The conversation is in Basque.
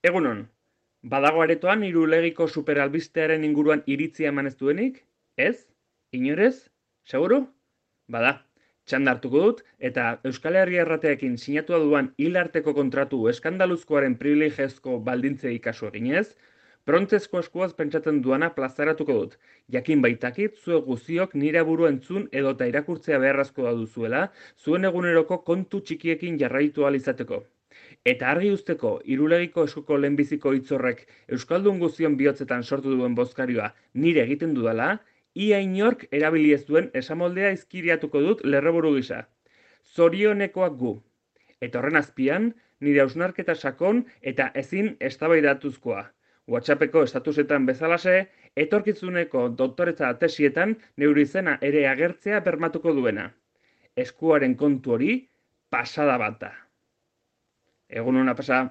Egunon, badago aretoan irulegiko superalbistearen inguruan iritzia eman ez duenik? Ez? Inorez? Seguru? Bada, txanda hartuko dut, eta Euskal Herria Errateekin sinatua duan hilarteko kontratu eskandaluzkoaren privilegiozko baldintzei kasu eginez, prontzezko eskuaz pentsatzen duana plazaratuko dut. Jakin baitakit, zuek guztiok nire burua entzun edota irakurtzea beharrezkoa duzuela, zuen eguneroko kontu txikiekin jarraitu ahal izateko. Eta argi uzteko, irulegiko eskuko lehenbiziko hitzorrek Euskaldun guztion bihotzetan sortu duen bozkarioa nire egiten dudala, ia inork erabili ez duen esamoldea izkiriatuko dut lerroburu gisa. Zorionekoak gu. Eta horren azpian, nire hausnarketa sakon eta ezin eztabaidatuzkoa. WhatsAppeko estatusetan bezalase, etorkizuneko doktoretza tesietan neure izena ere agertzea bermatuko duena. Eskuaren kontu hori, pasada bat da. Egun ona pasa.